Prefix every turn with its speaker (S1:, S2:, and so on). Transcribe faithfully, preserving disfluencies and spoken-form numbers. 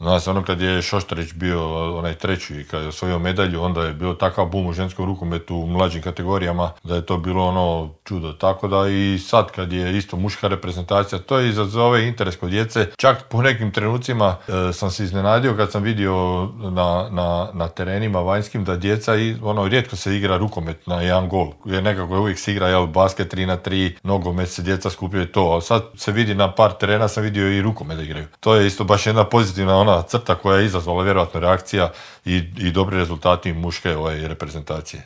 S1: Znaš, ono kad je Šoštarić bio onaj treći i kad je osvojio medalju, onda je bio takav bum u ženskom rukometu u mlađim kategorijama da je to bilo ono čudo. Tako da i sad kad je isto muška reprezentacija, to je izazove interes kod djece. Čak po nekim trenucima e, sam se iznenadio kad sam vidio na, na, na terenima vanjskim da djeca, i, ono, rijetko se igra rukomet na jedan gol. Jer nekako uvijek se igra, jel, basket tri na tri, nogomet se djeca skupljaju to, ali sad se vidi na par terena, sam vidio i rukomet da igraju. To je isto baš jedna pozitivna ona crta koja je izazvala vjerojatno reakcija i, i dobri rezultati muške ovaj, reprezentacije.